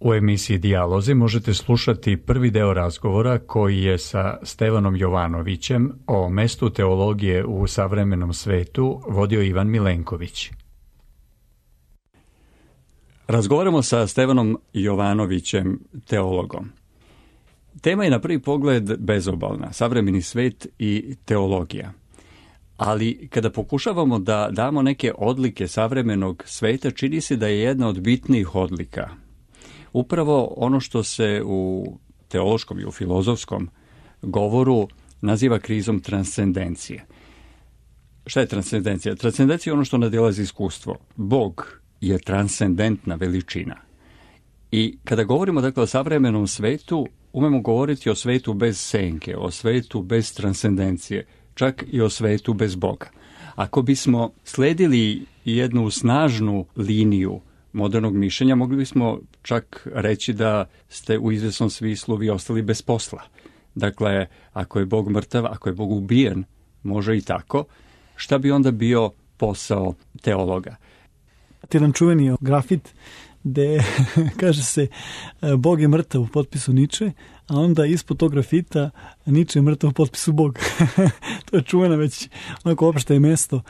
U emisiji Dijalozi možete slušati prvi deo razgovora koji je sa Stevanom Jovanovićem o mestu teologije u savremenom svetu vodio Ivan Milenković. Razgovaramo sa Stevanom Jovanovićem, teologom. Tema je na prvi pogled bezobalna, savremeni svet i teologija. Ali kada pokušavamo da damo neke odlike savremenog sveta, čini se da je jedna od bitnijih odlika upravo ono što se u teološkom i u filozofskom govoru naziva krizom transcendencije. Šta je transcendencija? Transcendencija je ono što nadilazi iskustvo. Bog je transcendentna veličina. I kada govorimo dakle o savremenom svetu, umemo govoriti o svetu bez senke, o svetu bez transcendencije, čak i o svetu bez Boga. Ako bismo sledili jednu snažnu liniju modernog mišljenja, mogli bismo čak reći da ste u izvjesnom smislu vi ostali bez posla. Dakle, ako je Bog mrtav, ako je Bog ubijen, može i tako, šta bi onda bio posao teologa? Jedan čuveni grafit gde kaže se Bog je mrtav u potpisu Niče, a onda ispod tog grafita Niče je mrtav u potpisu Bog. To je čuveno već onako opšte mesto.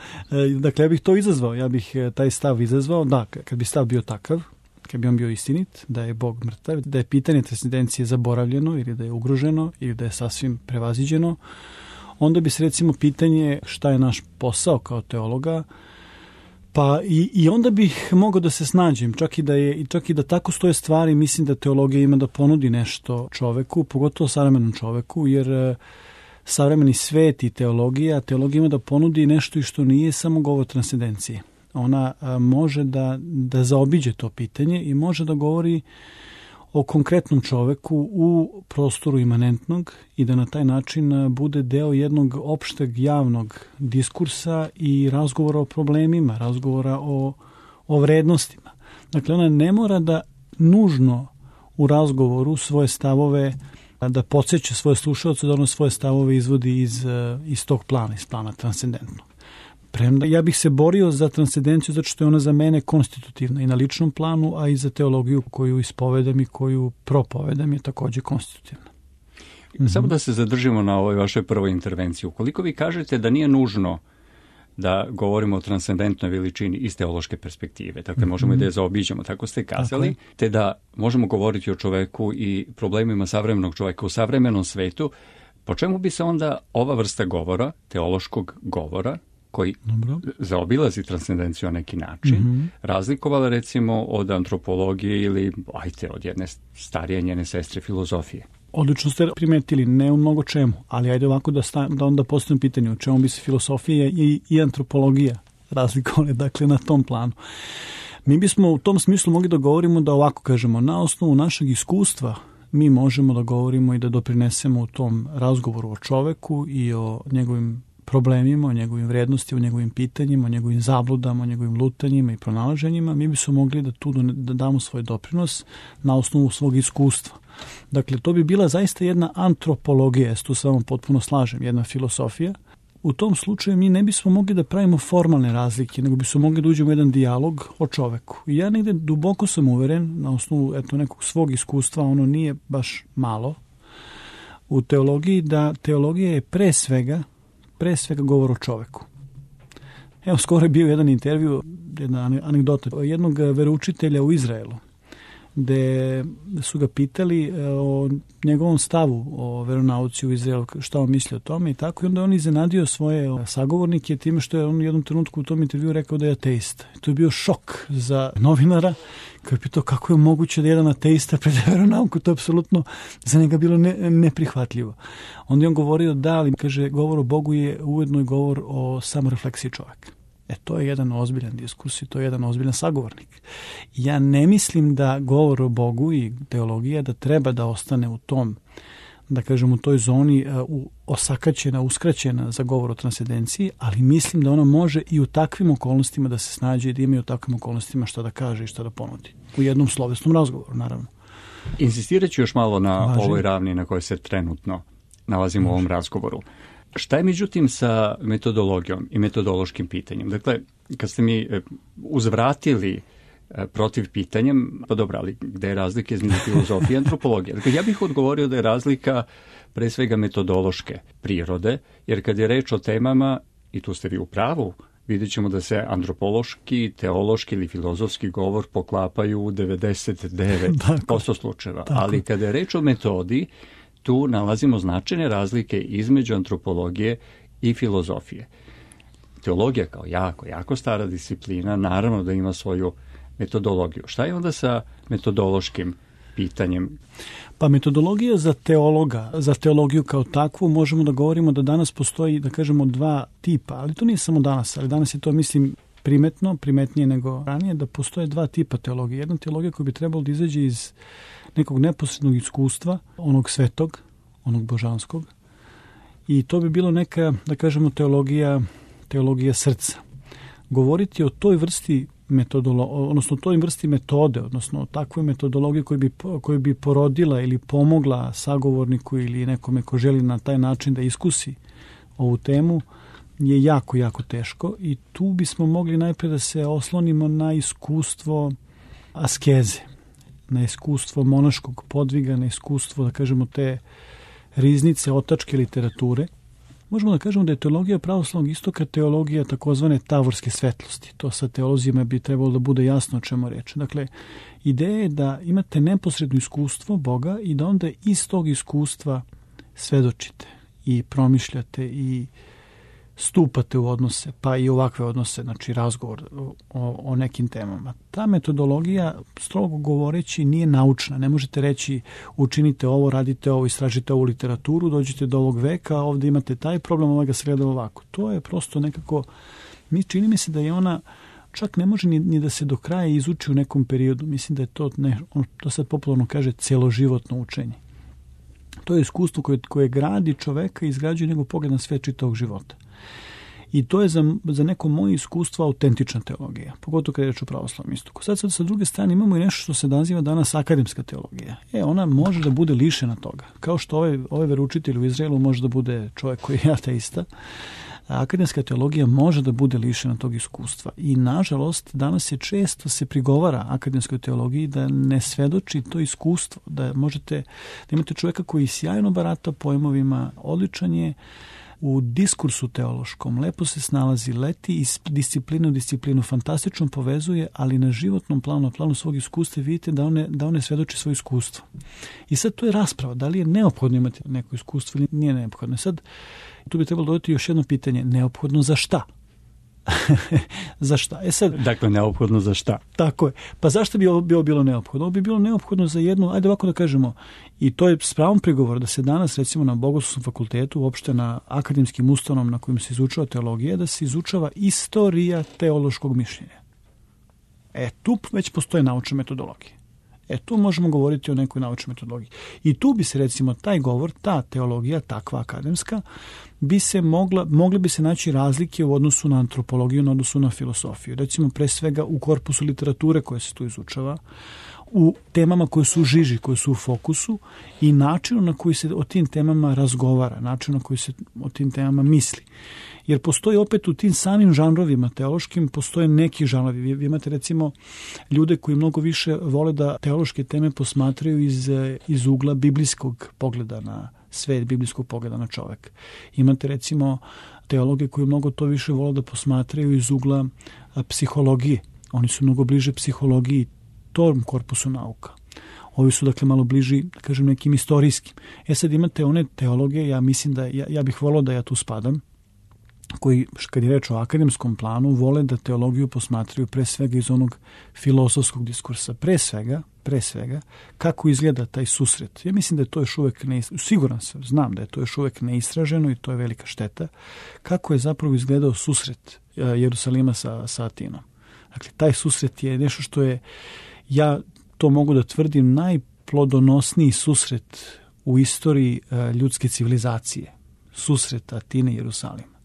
Dakle, ja bih to izazvao, ja bih taj stav izazvao. Da, kad bi stav bio takav, kad bi on bio istinit, da je Bog mrtav, da je pitanje transcendencije zaboravljeno ili da je ugroženo ili da je sasvim prevaziđeno, onda bi se recimo pitanje šta je naš posao kao teologa, pa i onda bih mogao da se snađem, čak i da tako stoje stvari, mislim da teologija ima da ponudi nešto čoveku, pogotovo savremenom čoveku, jer savremeni svet i teologija ima da ponudi nešto i što nije samo govor transcendencije. Ona može da zaobiđe to pitanje i može da govori o konkretnom čoveku u prostoru imanentnog i da na taj način bude deo jednog opšteg javnog diskursa i razgovora o problemima, razgovora o vrednostima. Dakle, ona ne mora da nužno u razgovoru svoje stavove, da podsjeća svoje slušaoce, da ono svoje stavove izvodi iz tog plana, iz plana transcendentnog. Premda ja bih se borio za transcendenciju zato što je ona za mene konstitutivna i na ličnom planu, a i za teologiju koju ispovedam i koju propovedam je takođe konstitutivna. Samo da se zadržimo na ovoj vašoj prvoj intervenciji. Ukoliko vi kažete da nije nužno da govorimo o transcendentnoj veličini iz teološke perspektive, dakle možemo i da je zaobiđemo, tako ste kazali, te da možemo govoriti o čoveku i problemima savremenog čoveka u savremenom svetu, po čemu bi se onda ova vrsta govora, teološkog govora, koji zaobilazi transcendenciju na neki način, razlikovala recimo od antropologije ili od jedne starije njene sestre filozofije? Odlično ste primetili, ne u mnogo čemu, ali ajde ovako da onda postavim pitanje u čemu bi se filosofija i antropologija razlikovali, dakle na tom planu. Mi bismo u tom smislu mogli da govorimo da ovako kažemo, na osnovu našeg iskustva mi možemo da govorimo i da doprinesemo u tom razgovoru o čoveku i o njegovim problemima, o njegovim vrednostima, o njegovim pitanjima, o njegovim zabludama, o njegovim lutanjima i pronalaženjima, mi bismo mogli da tu da damo svoj doprinos na osnovu svog iskustva. Dakle, to bi bila zaista jedna antropologija, tu se vam potpuno slažem, jedna filosofija. U tom slučaju mi ne bismo mogli da pravimo formalne razlike, nego bismo mogli da uđemo u jedan dijalog o čoveku. I ja negde duboko sam uveren, na osnovu nekog svog iskustva, ono nije baš malo, u teologiji, da teologija je pre svega govor o čoveku. Evo, skoro je bio jedan intervju, jedna anegdota jednog veroučitelja u Izraelu, gde su ga pitali o njegovom stavu o veronauci u Izraelu, šta on misli o tome i tako. I onda on iznenadio svoje sagovornike time što je on u jednom trenutku u tom intervju rekao da je ateista. To je bio šok za novinara, koji je pitao kako je moguće da jedan ateista predaje veronauku. To je apsolutno za njega bilo neprihvatljivo. Onda je on govorio da, ali kaže, govor o Bogu je ujedno i govor o samorefleksiji čoveka. To je jedan ozbiljan diskurs i to je jedan ozbiljan sagovornik. Ja ne mislim da govor o Bogu i teologija da treba da ostane u tom, da kažem, u toj zoni osakaćena, uskraćena za govor o transcendenciji, ali mislim da ona može i u takvim okolnostima da se snađe i da ima i u takvim okolnostima šta da kaže i šta da ponudi. U jednom slovesnom razgovoru, naravno. Insistirat ću još malo na ovoj ravni na kojoj se trenutno nalazimo u ovom razgovoru. Šta je međutim sa metodologijom i metodološkim pitanjem? Dakle, kad ste mi uzvratili protiv pitanjem, pa dobro, ali gde je razlika između filozofije i antropologije? Dakle, ja bih odgovorio da je razlika pre svega metodološke prirode, jer kad je reč o temama, i tu ste vi u pravu, vidjet ćemo da se antropološki, teološki ili filozofski govor poklapaju u 99% slučajeva. Ali kada je reč o metodi, tu nalazimo značajne razlike između antropologije i filozofije. Teologija kao jako stara disciplina, naravno da ima svoju metodologiju. Šta je onda sa metodološkim pitanjem? Pa metodologija za teologa, za teologiju kao takvu, možemo da govorimo da danas postoji, da kažemo, dva tipa, ali to nije samo danas, ali danas je to, mislim, primetnije nego ranije, da postoje dva tipa teologije. Jedna teologija koja bi trebalo da izađe iz nekog neposrednog iskustva, onog svetog, onog božanskog, i to bi bilo neka, da kažemo, teologija srca. Govoriti o toj vrsti odnosno toj vrsti metode, odnosno takvoj metodologiji koju bi porodila ili pomogla sagovorniku ili nekome ko želi na taj način da iskusi ovu temu, je jako teško i tu bismo mogli najpre da se oslonimo na iskustvo askeze, na iskustvo monaškog podviga, na iskustvo, da kažemo, te riznice otačke literature. Možemo da kažemo da je teologija pravoslavnog istoka teologija takozvane tavorske svetlosti. To sa teolozijama bi trebalo da bude jasno o čemu reč. Dakle, ideja je da imate neposredno iskustvo Boga i da onda iz tog iskustva svedočite i promišljate i stupate u odnose, pa i ovakve odnose, znači razgovor o nekim temama. Ta metodologija, strogo govoreći, nije naučna. Ne možete reći učinite ovo, radite ovo, istražite ovu literaturu, dođete do ovog veka, ovdje imate taj problem, ovaj ga se gleda ovako. To je prosto nekako, čini mi se da je ona čak ne može ni da se do kraja izuči u nekom periodu. Mislim da je to sad popularno kaže celoživotno učenje. To je iskustvo koje gradi čoveka i izgrađuje njegov pogled na sve čitavog života. I to je za neko moje iskustvo autentična teologija, pogotovo kada je reč o pravoslavnom istoku. Sad sa druge strane imamo i nešto što se naziva danas akademska teologija. Ona može da bude lišena toga. Kao što ovaj veroučitelj u Izraelu može da bude čovjek koji je ateista, akademska teologija može da bude lišena tog iskustva. I nažalost, danas je često se prigovara akademskoj teologiji da ne svedoči to iskustvo, da imate čovjeka koji sjajno barata pojmovima, odličan je u diskursu teološkom, lepo se snalazi, leti iz discipline u disciplinu, fantastično povezuje, ali na životnom planu, na planu svog iskustva vidite da on ne svedoči svoje iskustvo. I sad to je rasprava, da li je neophodno imati neko iskustvo ili nije neophodno. Sad tu bi trebalo dodati još jedno pitanje, neophodno za šta? Za šta? Sad, dakle, neophodno za šta? Tako je. Pa zašto bi ovo bilo neophodno? Ovo bi bilo neophodno za jednu, ajde ovako da kažemo, i to je s pravom prigovor da se danas, recimo na Bogoslovskom fakultetu, uopšte na akademskim ustanovama na kojim se izučava teologija, da se izučava istorija teološkog mišljenja. Tu već postoje naučne metodologije. Tu možemo govoriti o nekoj naučnoj metodologiji. I tu bi se, recimo, taj govor, ta teologija, takva akademska, mogle bi se naći razlike u odnosu na antropologiju, u odnosu na filosofiju. Recimo, pre svega u korpusu literature koje se tu izučava, u temama koje su u žiži, koje su u fokusu i načinu na koji se o tim temama razgovara, načinu na koji se o tim temama misli. Jer postoji opet u tim samim žanrovima teološkim, postoje neki žanrovi. Vi imate recimo ljude koji mnogo više vole da teološke teme posmatraju iz ugla biblijskog pogleda na svet, biblijskog pogleda na čovek. Imate recimo teologe koji mnogo to više vole da posmatraju iz ugla psihologije. Oni su mnogo bliže psihologiji, tom korpusu nauka. Ovi su dakle malo bliži, da kažem, nekim istorijskim. Sad imate one teologe, ja mislim da ja bih volao da ja tu spadam, koji, kad je reč o akademskom planu, vole da teologiju posmatraju pre svega iz onog filozofskog diskursa. Pre svega, kako izgleda taj susret. Ja mislim da je to još uvek siguran sam, znam da je to još uvek neistraženo i to je velika šteta. Kako je zapravo izgledao susret Jerusalima sa Atinom. Dakle, taj susret je nešto što je, ja to mogu da tvrdim, najplodonosniji susret u istoriji ljudske civilizacije. Susret Atine i Jerusalima.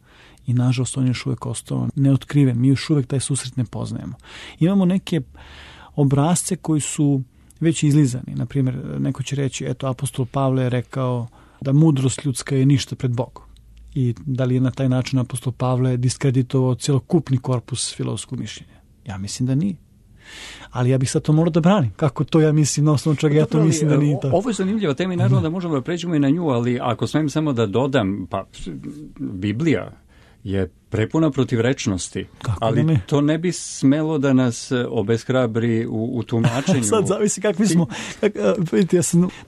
I nažalost on je još uvek ostao neotkriven. Mi još uvek taj susret ne poznajemo. Imamo neke obrazce koji su već izlizani. Naprimjer, neko će reći, apostol Pavle je rekao da mudrost ljudska je ništa pred Bogom. I da li je na taj način apostol Pavle diskreditovao celokupni korpus filozofskog mišljenja? Ja mislim da nije. Ali ja bih sad to morao da branim. Kako to ja mislim, na osnovu čega ja to mislim da nije tako. Ovo je zanimljiva tema i naravno da možemo da pređemo i na nju, ali ako smijem samo da dodam, pa Biblija je prepuna protivrečnosti, ali to ne bi smelo da nas obeshrabri u tumačenju. Sad zavisi kakvi smo. Vidite,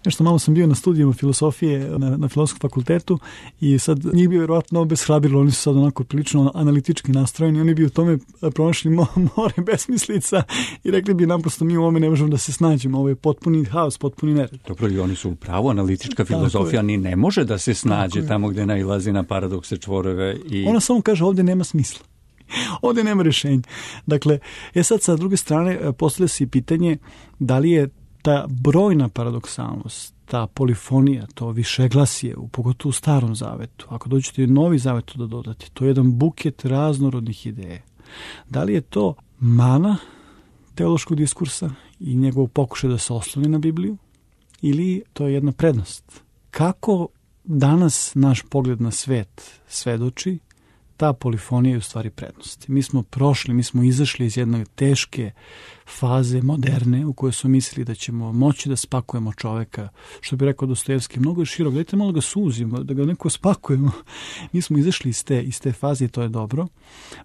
nešto malo sam bio na studijama filosofije na Filozofskom fakultetu i sad njih bi vjerovatno obeshrabrilo, oni su sad onako prilično analitički nastrojeni, oni bi u tome pronašli more besmislica i rekli bi naprosto mi u ovome ne možemo da se snađemo, ovo je potpuni haos, potpuni nered. Dobro, i oni su u pravu, analitička filozofija ni ne može da se snađe tamo gde nailazi na paradokse, čvorove i... Ona samo kaže ovdje nema smisla. Ovdje nema rješenja. Dakle, sad sa druge strane postavlja se i pitanje da li je ta brojna paradoksalnost, ta polifonija, to višeglasje, pogotovo u Starom zavetu, ako dođete u Novi zavet da dodate, to je jedan buket raznorodnih ideja. Da li je to mana teološkog diskursa i njegov pokušaj da se osloni na Bibliju ili to je jedna prednost? Kako danas naš pogled na svet svedoči ta polifonija je u stvari prednost. Mi smo izašli iz jedne teške faze moderne u kojoj smo mislili da ćemo moći da spakujemo čoveka, što bi rekao Dostojevski, mnogo je širok, dajte malo ga suzimo, da ga neko spakujemo. Mi smo izašli iz te faze i to je dobro.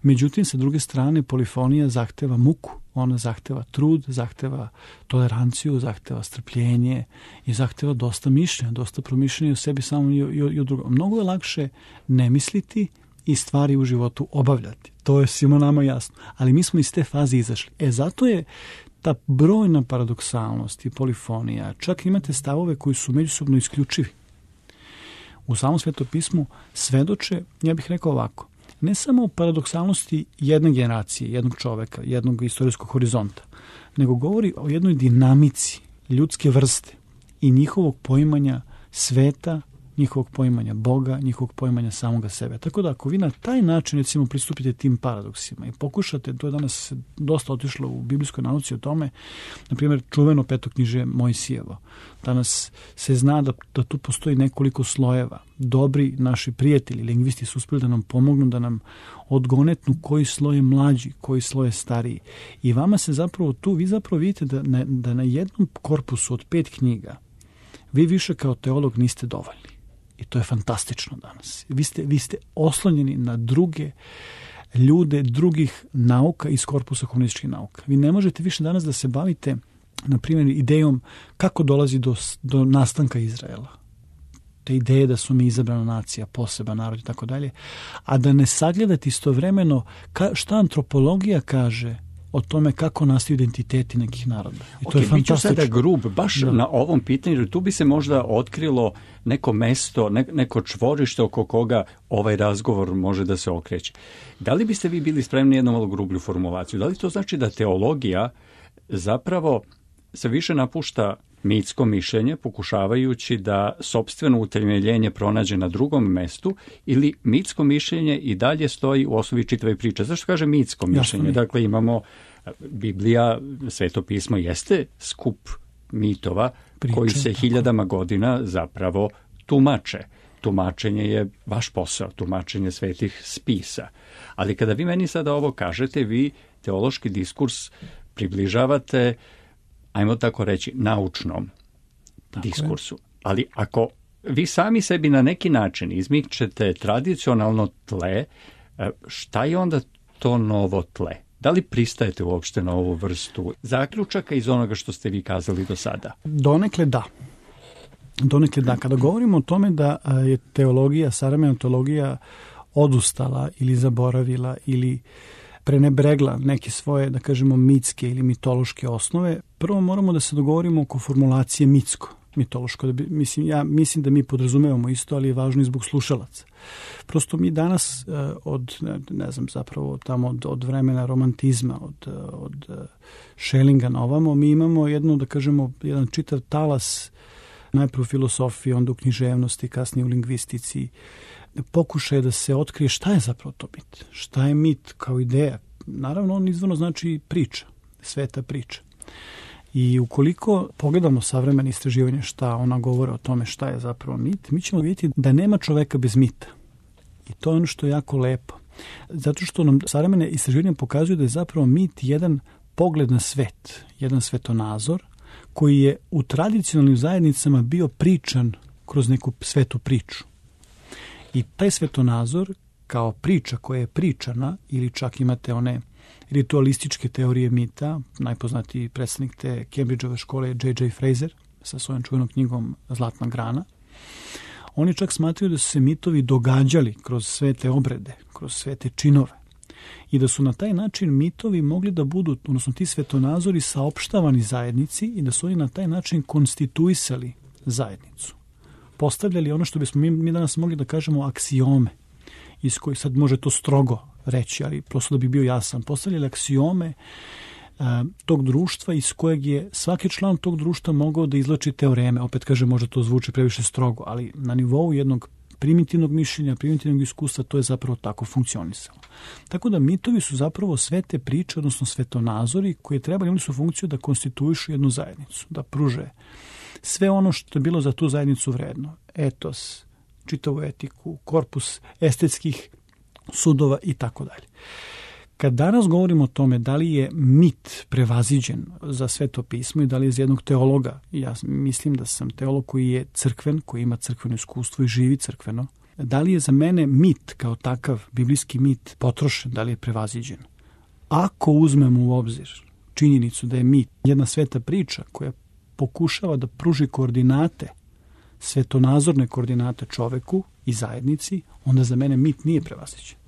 Međutim, sa druge strane, polifonija zahteva muku, ona zahteva trud, zahteva toleranciju, zahteva strpljenje i zahteva dosta mišljenja, dosta promišljenja o sebi samom i o drugom. Mnogo je lakše ne misliti i stvari u životu obavljati. To je svima nama jasno. Ali mi smo iz te faze izašli. Zato je ta brojna paradoksalnost i polifonija. Čak imate stavove koji su međusobno isključivi. U samom Svetopismu svedoče, ja bih rekao ovako, ne samo o paradoksalnosti jedne generacije, jednog čoveka, jednog istorijskog horizonta, nego govori o jednoj dinamici ljudske vrste i njihovog poimanja sveta, njihovog poimanja Boga, njihovog poimanja samoga sebe. Tako da ako vi na taj način recimo pristupite tim paradoksima i pokušate, to je danas dosta otišlo u biblijskoj nauci o tome, na primjer čuveno petoknjižje Mojsijevo. Danas se zna da tu postoji nekoliko slojeva. Dobri naši prijatelji, lingvisti su uspjeli da nam pomognu, da nam odgonetnu koji sloj je mlađi, koji sloj je stariji. I vama se zapravo tu, vi zapravo vidite da na jednom korpusu od 5 knjiga vi više kao teolog niste dovoljni. I to je fantastično danas. Vi ste oslonjeni na druge ljude, drugih nauka iz korpusa humanističkih nauka. Vi ne možete više danas da se bavite, na primjer, idejom kako dolazi do nastanka Izraela. Te ideje da su mi izabrana nacija, poseban narod i tako dalje, a da ne sagledate istovremeno šta antropologija kaže o tome kako nastaju identiteti nekih naroda. I to je fantastično. Biću sada grub, baš na ovom pitanju, jer tu bi se možda otkrilo neko mesto, neko čvorište oko koga ovaj razgovor može da se okreće. Da li biste vi bili spremni jednu malo grublju formulaciju? Da li to znači da teologija zapravo se više napušta mitsko mišljenje, pokušavajući da sopstveno utemeljenje pronađe na drugom mestu, ili mitsko mišljenje i dalje stoji u osnovi čitave priče? Zašto kaže mitsko mišljenje? Jasno. Dakle, imamo Biblija, Sveto pismo jeste skup mitova priče, koji se hiljadama godina zapravo tumače. Tumačenje je vaš posao, tumačenje svetih spisa. Ali kada vi meni sada ovo kažete, vi teološki diskurs približavate, ajmo tako reći, naučnom diskursu. Ali ako vi sami sebi na neki način izmičete tradicionalno tle, šta je onda to novo tle? Da li pristajete uopšte na ovu vrstu zaključaka iz onoga što ste vi kazali do sada? Donekle da. Kada govorimo o tome da je teologija, savremena teologija odustala ili zaboravila ili prenebregla neke svoje, da kažemo, mitske ili mitološke osnove, prvo moramo da se dogovorimo oko formulacije mitsko-mitološko. Ja mislim da mi podrazumevamo isto, ali je važno i zbog slušalaca. Prosto mi danas od vremena romantizma, od Schellinga na ovamo, mi imamo jedan čitav talas, najprije u filosofiji, onda u književnosti, kasnije u lingvistici, pokušaj da se otkrije šta je zapravo to mit. Šta je mit kao ideja? Naravno, on izvorno znači priča, sveta priča. I ukoliko pogledamo savremene istraživanja šta ona govore o tome šta je zapravo mit, mi ćemo vidjeti da nema čoveka bez mita. I to je ono što je jako lepo. Zato što nam savremene istraživanja pokazuju da je zapravo mit jedan pogled na svet, jedan svetonazor koji je u tradicionalnim zajednicama bio pričan kroz neku svetu priču. I taj svetonazor kao priča koja je pričana, ili čak imate one ritualističke teorije mita, najpoznatiji predstavnik te Cambridgeove škole je J.J. Fraser sa svojom čuvenom knjigom Zlatna grana. Oni čak smatraju da su se mitovi događali kroz sve te obrede, kroz sve te činove i da su na taj način mitovi mogli da budu, odnosno ti svetonazori, saopštavani zajednici i da su oni na taj način konstituisali zajednicu. Postavljali ono što bismo mi danas mogli da kažemo aksiome, iz kojih sad može to strogo reći, ali prosto da bi bio jasan. Postavljali aksiome tog društva iz kojeg je svaki član tog društva mogao da izlači teoreme. Opet kažem, možda to zvuči previše strogo, ali na nivou jednog primitivnog mišljenja, primitivnog iskustva, to je zapravo tako funkcionisalo. Tako da mitovi su zapravo sve te priče, odnosno svetonazori koji trebali, imali su funkciju da konstituišu jednu zajednicu, da pruže sve ono što je bilo za tu zajednicu vredno. Etos, čitavu etiku, korpus estetskih sudova i tako dalje. Kad danas govorimo o tome da li je mit prevaziđen za Sveto pismo i da li je za jednog teologa, ja mislim da sam teolog koji je crkven, koji ima crkveno iskustvo i živi crkveno, da li je za mene mit kao takav, biblijski mit, potrošen, da li je prevaziđen? Ako uzmemo u obzir činjenicu da je mit jedna sveta priča koja pokušava da pruži koordinate, svetonazorne koordinate čoveku i zajednici, onda za mene mit nije prevaziđen.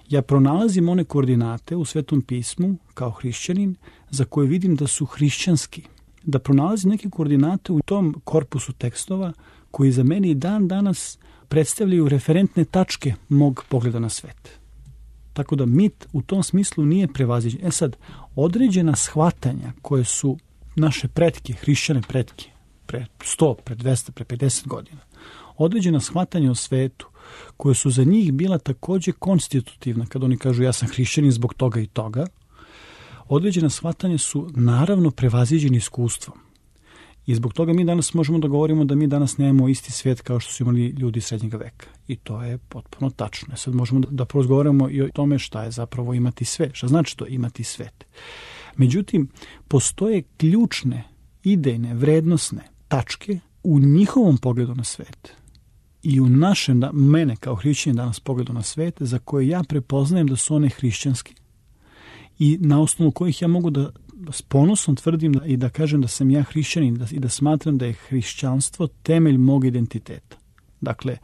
Ja pronalazim one koordinate u Svetom pismu kao hrišćanin za koje vidim da su hrišćanski. Da pronalazim neke koordinate u tom korpusu tekstova koji za mene i dan danas predstavljaju referentne tačke mog pogleda na svet. Tako da mit u tom smislu nije prevaziđen. Sad, određena shvatanja koje su naše pretke, hrišćane pretke, pre 100, pre 200, pre 50 godina, određena shvatanja o svetu koje su za njih bila također konstitutivna, kad oni kažu ja sam hrišćanin zbog toga i toga, određena shvatanja su naravno prevaziđeni iskustvom. I zbog toga mi danas možemo da govorimo da mi danas nemamo isti svijet kao što su imali ljudi srednjeg veka. I to je potpuno tačno. Sad možemo da porazgovaramo i o tome šta je zapravo imati svet. Šta znači to imati svet? Međutim, postoje ključne, idejne, vrednosne tačke u njihovom pogledu na svet i u našem, mene kao hrišćanin danas pogledu na svet, za koje ja prepoznajem da su one hrišćanske i na osnovu kojih ja mogu da s ponosom tvrdim i da kažem da sam ja hrišćanin i da smatram da je hrišćanstvo temelj mog identiteta. Dakle,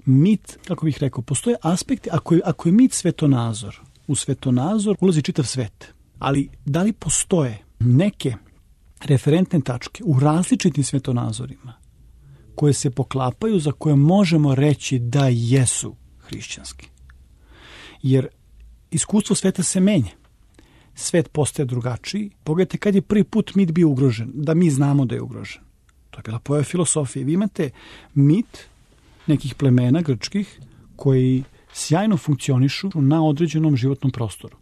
mit, kako bih rekao, postoje aspekti, ako je mit svetonazor, u svetonazor ulazi čitav svet, ali da li postoje neke referentne tačke u različitim svetonazorima koje se poklapaju, za koje možemo reći da jesu hrišćanski? Jer iskustvo sveta se menja. Svet postaje drugačiji. Pogledajte kad je prvi put mit bio ugrožen, da mi znamo da je ugrožen. To je bila pojava filosofije. Vi imate mit nekih plemena grčkih koji sjajno funkcionišu na određenom životnom prostoru.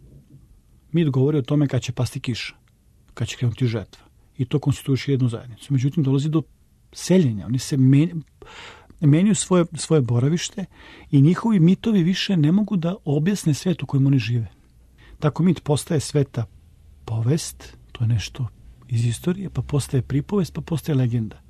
Mit govori o tome kad će pasti kiša, kad će krenuti žetva. I to konstituiše jednu zajednicu. Međutim, dolazi do seljenja. Oni se menjaju svoje boravište i njihovi mitovi više ne mogu da objasne svet u kojem oni žive. Tako mit postaje sveta povest, to je nešto iz istorije, pa postaje pripovest, pa postaje legenda.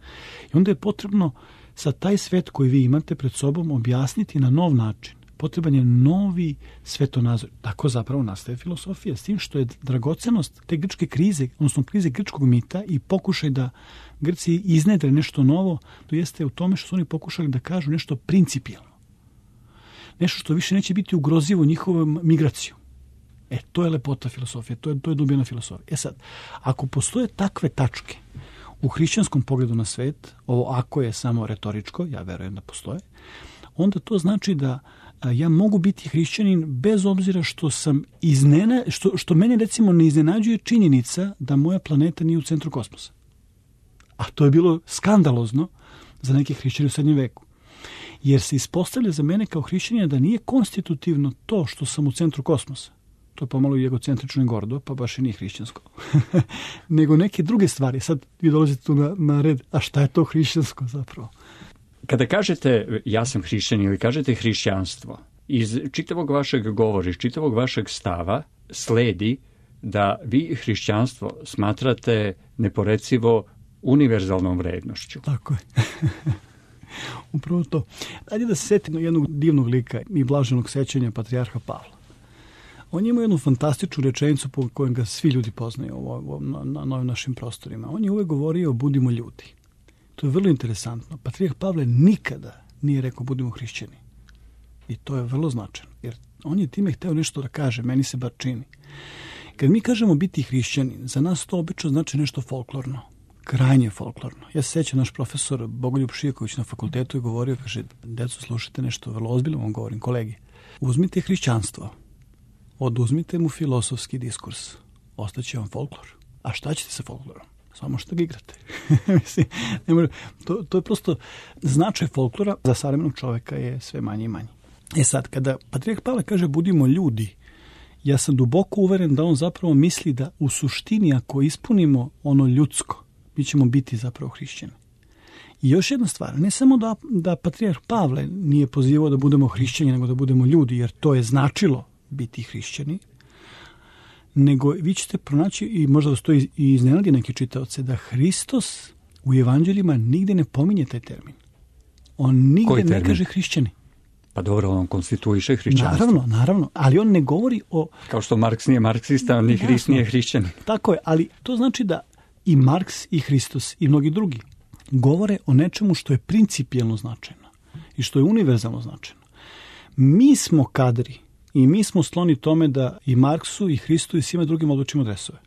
I onda je potrebno sa taj svet koji vi imate pred sobom objasniti na nov način. Potreban je novi svetonazor. Tako zapravo nastaje filosofija. S tim što je dragocenost te grčke krize, odnosno krize grčkog mita i pokušaj da Grci iznedre nešto novo, to jeste u tome što su oni pokušali da kažu nešto principijelno. Nešto što više neće biti ugrozivo njihovom migraciju. To je lepota filosofije, to je dubina filosofije. Sad, ako postoje takve tačke u hrišćanskom pogledu na svet, ovo ako je samo retoričko, ja verujem da postoje, onda to znači da ja mogu biti hrišćanin bez obzira što sam što mene recimo ne iznenađuje činjenica da moja planeta nije u centru kosmosa. A to je bilo skandalozno za neke hrišćane u srednjem veku. Jer se ispostavlja za mene kao hrišćanina da nije konstitutivno to što sam u centru kosmosa. To je pomalo i egocentrično i gordo, pa baš i nije hrišćansko. Nego neke druge stvari. Sad vi dolazite tu na red, a šta je to hrišćansko zapravo? Kada kažete ja sam hrišćanin ili kažete hrišćanstvo, iz čitavog vašeg govora, iz čitavog vašeg stava sledi da vi hrišćanstvo smatrate neporecivo univerzalnom vrednošću. Tako je. Upravo to. Ajde da se setimo jednog divnog lika i blaženog sećanja patrijarha Pavla. On je imao jednu fantastičnu rečenicu po kojem ga svi ljudi poznaju na novim našim prostorima. On je uvek govorio budimo ljudi. To je vrlo interesantno. Patrijarh Pavle nikada nije rekao budimo hrišćani. I to je vrlo značajno. Jer on je time hteo nešto da kaže, meni se bar čini. Kad mi kažemo biti hrišćanin, za nas to obično znači nešto folklorno. Krajnje folklorno. Ja se sećam, naš profesor Bogoljub Šijaković na fakultetu je govorio, kaže, deco, slušajte nešto vrlo ozbiljno, vam govorim, kolegi. Uzmite hrišćanstvo, oduzmite mu filosofski diskurs, ostaće vam folklor. A šta ćete sa folklorom? Samo što ga igrate. Mislim, to je prosto značaj folklora za savremenog čoveka je sve manje i manje. Sad, kada patrijarh Pavle kaže budimo ljudi, ja sam duboko uveren da on zapravo misli da u suštini ako ispunimo ono ljudsko, mi ćemo biti zapravo hrišćani. I još jedna stvar, ne samo da patrijarh Pavle nije pozivao da budemo hrišćani, nego da budemo ljudi, jer to je značilo biti hrišćani, nego vi ćete pronaći, i možda vas to i iznenadi neki čitaoce, da Hristos u evanđeljima nigde ne pominje taj termin. On nigde ne kaže hrišćani. Pa dobro, on konstituiše hrišćanstvo. Naravno, ali on ne govori o... Kao što Marks nije marksista, ni Hrist nije hrišćanin. Tako je, ali to znači da i Marks i Hristos i mnogi drugi govore o nečemu što je principijelno značajno i što je univerzalno značajno. Mi smo kadri i mi smo skloni tome da i Marksu i Hristu i svima drugim odlučimo dresove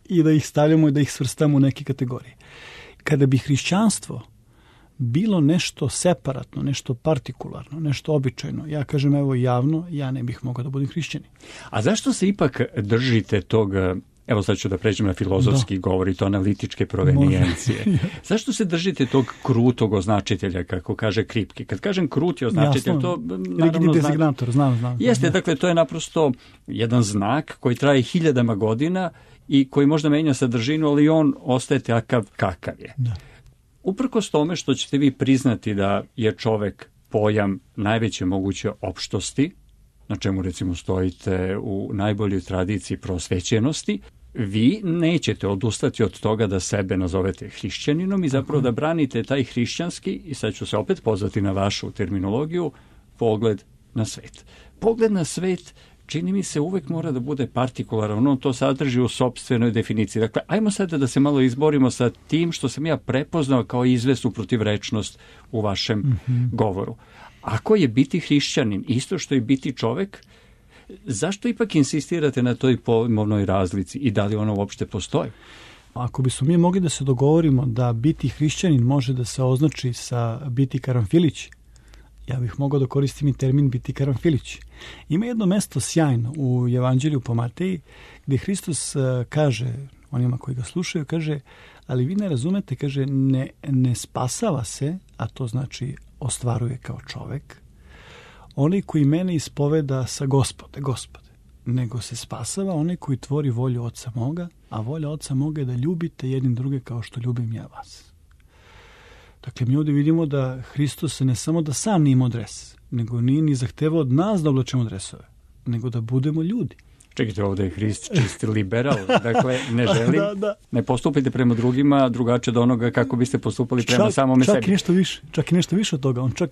i da ih stavljamo i da ih svrstamo u neke kategorije. Kada bi hrišćanstvo bilo nešto separatno, nešto partikularno, nešto običajno, ja kažem evo javno, ja ne bih mogao da budem hrišćanin. A zašto se ipak držite tog, evo sad ću da pređem na filozofski govor i to analitičke provenijencije. Zašto se držite tog krutog označitelja, kako kaže Kripke? Kad kažem kruti označitelj, to naravno znam. Jeste, dakle, to je naprosto jedan znak koji traje hiljadama godina i koji možda menja sadržinu, ali on ostaje takav kakav je. Da. Uprkos tome što ćete vi priznati da je čovek pojam najveće moguće opštosti, na čemu recimo stojite u najboljoj tradiciji prosvećenosti, vi nećete odustati od toga da sebe nazovete hrišćaninom i zapravo da branite taj hrišćanski, i sad ću se opet pozvati na vašu terminologiju, pogled na svet. Pogled na svet čini mi se uvek mora da bude partikularan, on to sadrži u sopstvenoj definiciji. Dakle, ajmo sada da se malo izborimo sa tim što sam ja prepoznao kao izvesnu protivrečnost u vašem govoru. Ako je biti hrišćanin isto što je biti čovek, zašto ipak insistirate na toj pojmovnoj razlici i da li ona uopšte postoji? Ako bismo mi mogli da se dogovorimo da biti hrišćanin može da se označi sa biti karanfilić, ja bih mogao da koristim i termin biti karanfilić. Ima jedno mesto sjajno u Evanđelju po Mateji gdje Hristos kaže onima koji ga slušaju, kaže, ali vi ne razumete, kaže, ne spasava se, a to znači ostvaruje kao čovek, onaj koji mene ispoveda sa Gospode, nego se spasava onaj koji tvori volju Oca moga, a volja Oca moga je da ljubite jednim druge kao što ljubim ja vas. Dakle, mi ovdje vidimo da Hristos ne samo da sam nije imao dres, nego nije ni zahtevao od nas da oblačemo dresove, nego da budemo ljudi. Čekajte, ovdje je Hrist čisti liberal, dakle ne želim, ne postupite prema drugima drugačije od onoga kako biste postupali prema samome sebi. Čak i nešto više od toga. On čak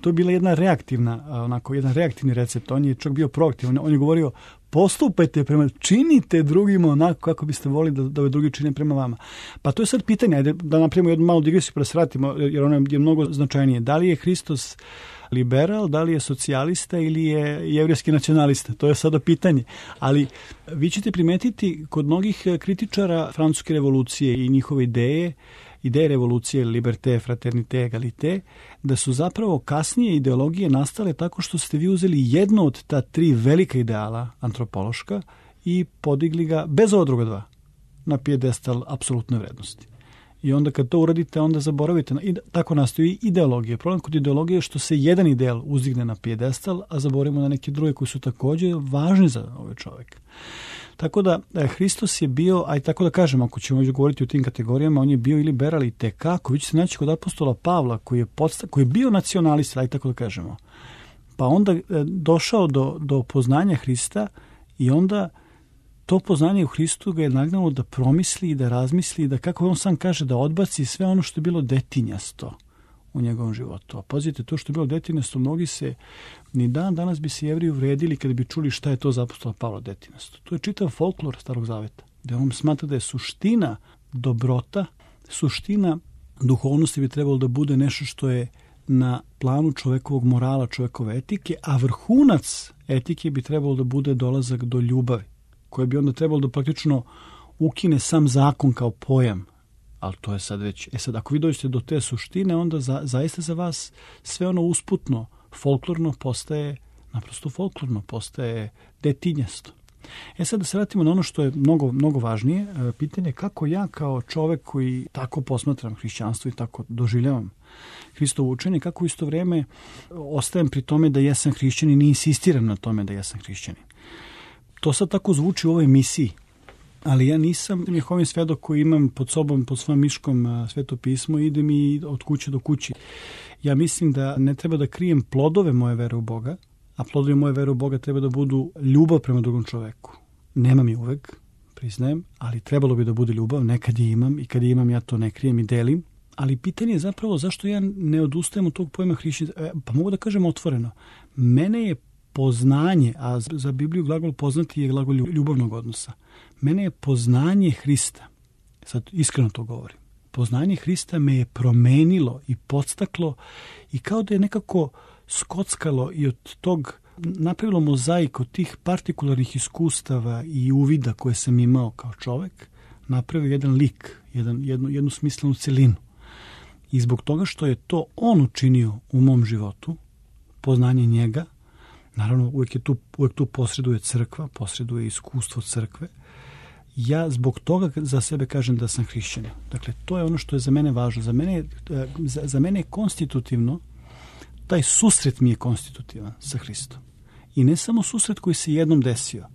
to je bila jedna reaktivna, jedan reaktivni recept. On je čak bio proaktivan. On je govorio, postupajte činite drugima onako kako biste volili da drugi čine prema vama. Pa to je sad pitanje, ajde da napravimo jednu malu digresiju pa da se vratimo, jer ono je mnogo značajnije. Da li je Hristos liberal, da li je socijalista ili je jevrejski nacionalista? To je sada pitanje. Ali vi ćete primetiti kod mnogih kritičara francuske revolucije i njihove ideje revolucije, liberté, fraternité, egalité, da su zapravo kasnije ideologije nastale tako što ste vi uzeli jedno od ta tri velika ideala antropološka i podigli ga bez ova druga dva na pijedestal apsolutne vrednosti. I onda kad to uradite, onda zaboravite. I tako nastoji ideologija. Problem kod ideologije je što se jedan ideal uzdigne na pijedestal, a zaboravimo na neke druge koji su također važni za ovaj čovjek. Tako da Hristos je bio, aj tako da kažem, ako ćemo već govoriti o tim kategorijama, on je bio i liberal i tekako. Vi ćete naći kod apostola Pavla koji je bio nacionalista, aj tako da kažemo. Pa onda došao do poznanja Hrista i onda to poznanje u Hristu ga je nagnalo da promisli i da razmisli i da, kako on sam kaže, da odbaci sve ono što je bilo detinjasto u njegovom životu. A pazite, to što je bilo detinjasto, mnogi se, ni danas bi se Jevreji uvredili kada bi čuli šta je to za apostola Pavla detinjasto. To je čitav folklor Starog Zaveta, gde on smatra da je suština dobrota, suština duhovnosti bi trebalo da bude nešto što je na planu čovekovog morala, čovekove etike, a vrhunac etike bi trebalo da bude dolazak do ljubavi, koje bi onda trebalo da praktično ukine sam zakon kao pojam. Ali to je sad već... sad, ako vi dođete do te suštine, onda zaista za vas sve ono usputno, folklorno postaje, naprosto folklorno, postaje detinjasto. Sad da se vratimo na ono što je mnogo, mnogo važnije, pitanje kako ja kao čovek koji tako posmatram hrišćanstvo i tako doživljavam Hristovo učenje, kako u isto vrijeme ostajem pri tome da jesam hrišćanin i insistiram na tome da jesam hrišćanin. To sad tako zvuči u ovoj emisiji, ali ja nisam Jehovin svedok koji imam pod sobom, pod svojom miškom Sveto pismo i idem i od kuće do kući. Ja mislim da ne treba da krijem plodove moje vere u Boga, a plodovi moje vere u Boga treba da budu ljubav prema drugom čoveku. Nemam je uvek, priznajem, ali trebalo bi da bude ljubav, nekad je imam i kad je imam ja to ne krijem i delim. Ali pitanje je zapravo zašto ja ne odustajem od tog pojma hrišćanstva. Pa mogu da kažem otvoreno. Mene je poznanje, a za Bibliju glagol poznati je glagol ljubavnog odnosa. Mene je poznanje Hrista, sad iskreno to govorim, poznanje Hrista me je promenilo i podstaklo i kao da je nekako skockalo i od tog napravilo mozaik od tih partikularnih iskustava i uvida koje sam imao kao čovek, napravio jedan lik, jednu smislenu celinu. I zbog toga što je to on učinio u mom životu, poznanje njega, naravno uvijek tu posreduje crkva, posreduje iskustvo crkve, ja zbog toga za sebe kažem da sam hrišćanin. Dakle, to je ono što je za mene važno. Za mene je konstitutivno, taj susret mi je konstitutivan sa Hristom. I ne samo susret koji se jednom desio,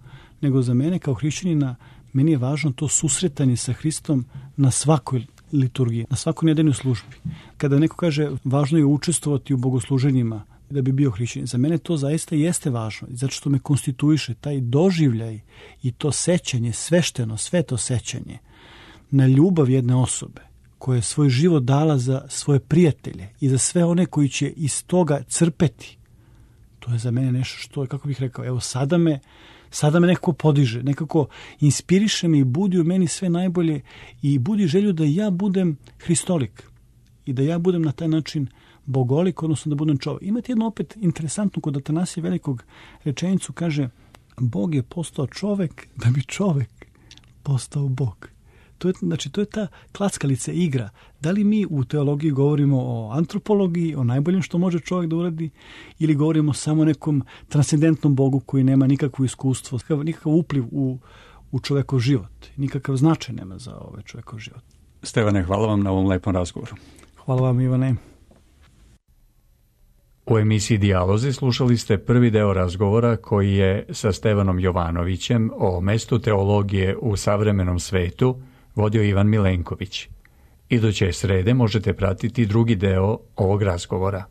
nego za mene kao hrišćanina, meni je važno to susretanje sa Hristom na svakoj liturgiji, na svakoj nedeljnoj službi. Kada neko kaže važno je učestvovati u bogosluženjima da bi bio hrišćanin, za mene to zaista jeste važno, zato što me konstituiše taj doživljaj i to sećanje, svešteno, sveto sećanje na ljubav jedne osobe koja je svoj život dala za svoje prijatelje i za sve one koji će iz toga crpeti. To je za mene nešto što je, kako bih rekao, evo sada me nekako podiže, nekako inspiriše me i budi u meni sve najbolje i budi želju da ja budem hristolik i da ja budem na taj način bogolik, odnosno da budem čovjek. Imate jedno opet interesantno kod Atanasija Velikog rečenicu, kaže Bog je postao čovjek da bi čovjek postao Bog. To je ta klackalica igra. Da li mi u teologiji govorimo o antropologiji, o najboljem što može čovjek da uradi, ili govorimo samo o nekom transcendentnom Bogu koji nema nikakvo iskustvo, nikakav upliv u čovjekov život, nikakav značaj nema za ovaj čovjekov život. Stevane, hvala vam na ovom lepom razgovoru. Hvala vam, Ivane. U emisiji Dijalozi slušali ste prvi deo razgovora koji je sa Stevanom Jovanovićem o mestu teologije u savremenom svetu vodio Ivan Milenković. Iduće srede možete pratiti drugi deo ovog razgovora.